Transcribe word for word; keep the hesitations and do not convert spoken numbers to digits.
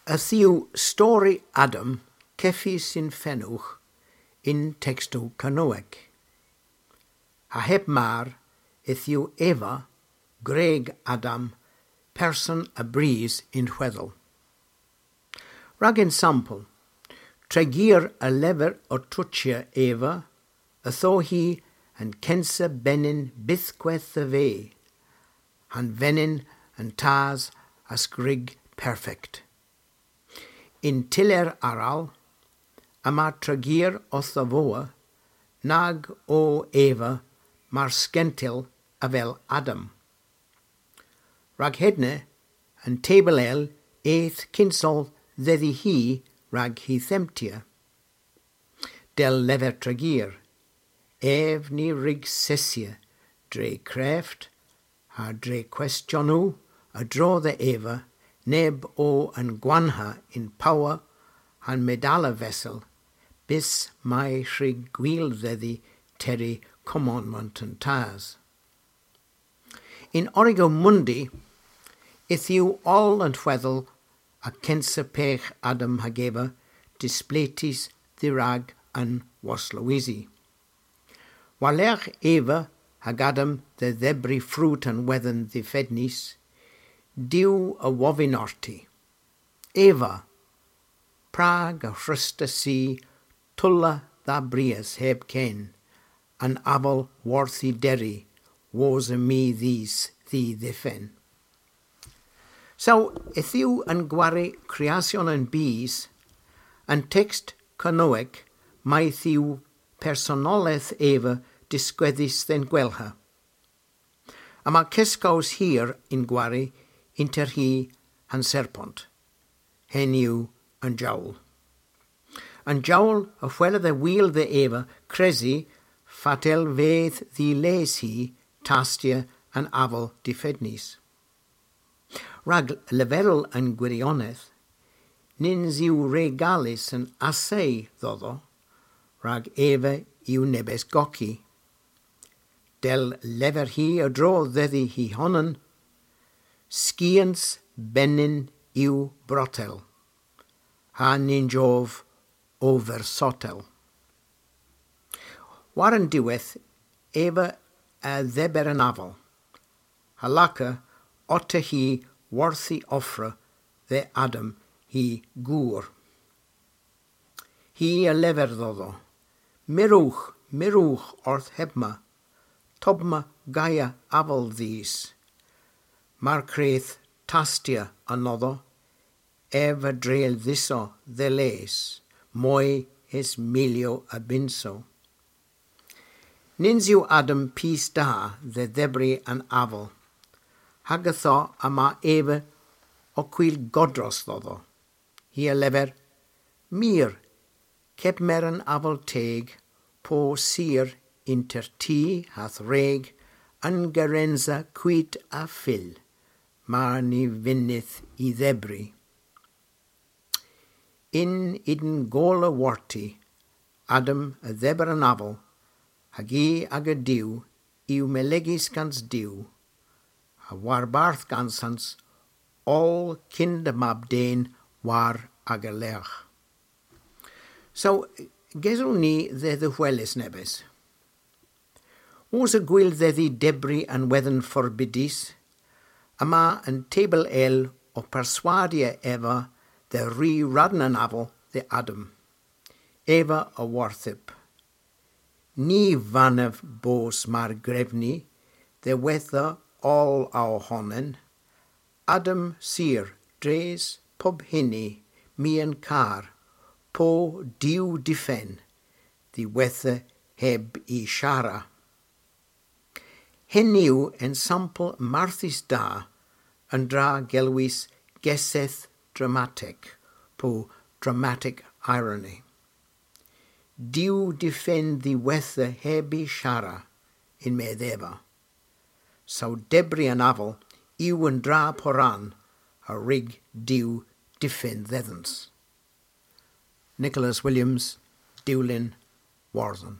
Yth yw stori Adam kevys yn fenowgh yn tekstow Kernewek. Ha heb mar, yth yw Eva, gwreg Adam, person a bris yn hwedhel. Rag ensampel, tregear a lever ow tochya Eva, ytho hi an kensa benyn bythkweth dhe ve, ha'n venyn an tas a's gwreg perfekt. Yn tyller arall, yma tregear owth avowa nag o Eva mar skentyl avel Adam. Rag hedna, an tebel el eth kynsel dhedhi hi rag hy dhemptya. Dell lever tregear, ev ny wrug sesya dre kreft ha dre kwestyonow a-dro dhe Eva neb o an gwanha yn power ha'n medala vesel, bys may hwrug gwil dhedhi terri kommanmant an tas. Yn Origo Mundi, yth yw oll an hwedhel a kensa pegh Adam hag Eva displetys dherag an woslowesi. War-lergh Eva hag Adam dhe dhebri frut an wedhen dhifennys, Duw a wovyn orti: Eva, prag y hwrusta si tolla dha brias heb ken, an aval worth y derri, wosa my dhis dh'y dhifen? So, yth yw an gwari Kreasyon an Bys, an tekst Kernewek mayth yw personoleth Eva diskwedhys dhe'n gwellha. Yma keskows hir y'n gwari ynter hi ha'n serpent. Henn yw an jowl. An jowl a hwella dhe wul dhe Eva kresi fatel vedh dh'y les hi tastya an aval difennys. Rag leverel an gwirionedh, nyns yw re galys an assay dhodho, rag Eva yw nebes goki. Dell lever hi a-dro dhedhi hy honan: Skians benyn yw brotel, ha nyns ov oversotel. War an diwedh, Eva a dheber an aval, ha laka otta hi worth y offra dhe Adam hy gour. Hi a lever dhodho: Mirewgh, mirewgh orth hebma, tobma gaya aval dhis. Mar kreth tastya anodho, ev a dreyl dhiso dhe les, moy es milyow a bynsow. Nyns yw Adam pys da dhe dhebri an aval, hag ytho yma Eva ow kwil godros dhodho. Hi a lever: Mir, kepmer an aval teg, po sur ynter ty ha'th wreg, an gerensa kwit a fyll, mar ny vynnydh y dhebri. Yn ydn gola worti, Adam a dheber an aval, hag i aga Duw yw melegys gans Duw, ha warbarth gansans oll kynsa mab den war aga lergh. So, gesewgh ni dhe dhehweles nebes. Wosa gwil dhedhi debri an wedhen forbydys, yma an tebel el ow perswadya Eva dhe ri radn an aval dhe Adam. Eva a worthyp: Ny vannav bos mar gwrev ni, dhe wetha oll ow honan. Adam sur, dres pub huni, my a'n kar, po Duw difen, dhiwettha heb y shara. Henn yw ensampel marthys da an dra gelwys gessedh dramatek, po dramatic irony. Duw difen dhiwettha heb y shara, yn-medh Eva. Saw debri an aval yw an dra poran a wrug Duw difen dhedhans. Nicholas Williams, Dewlin, Wordhen.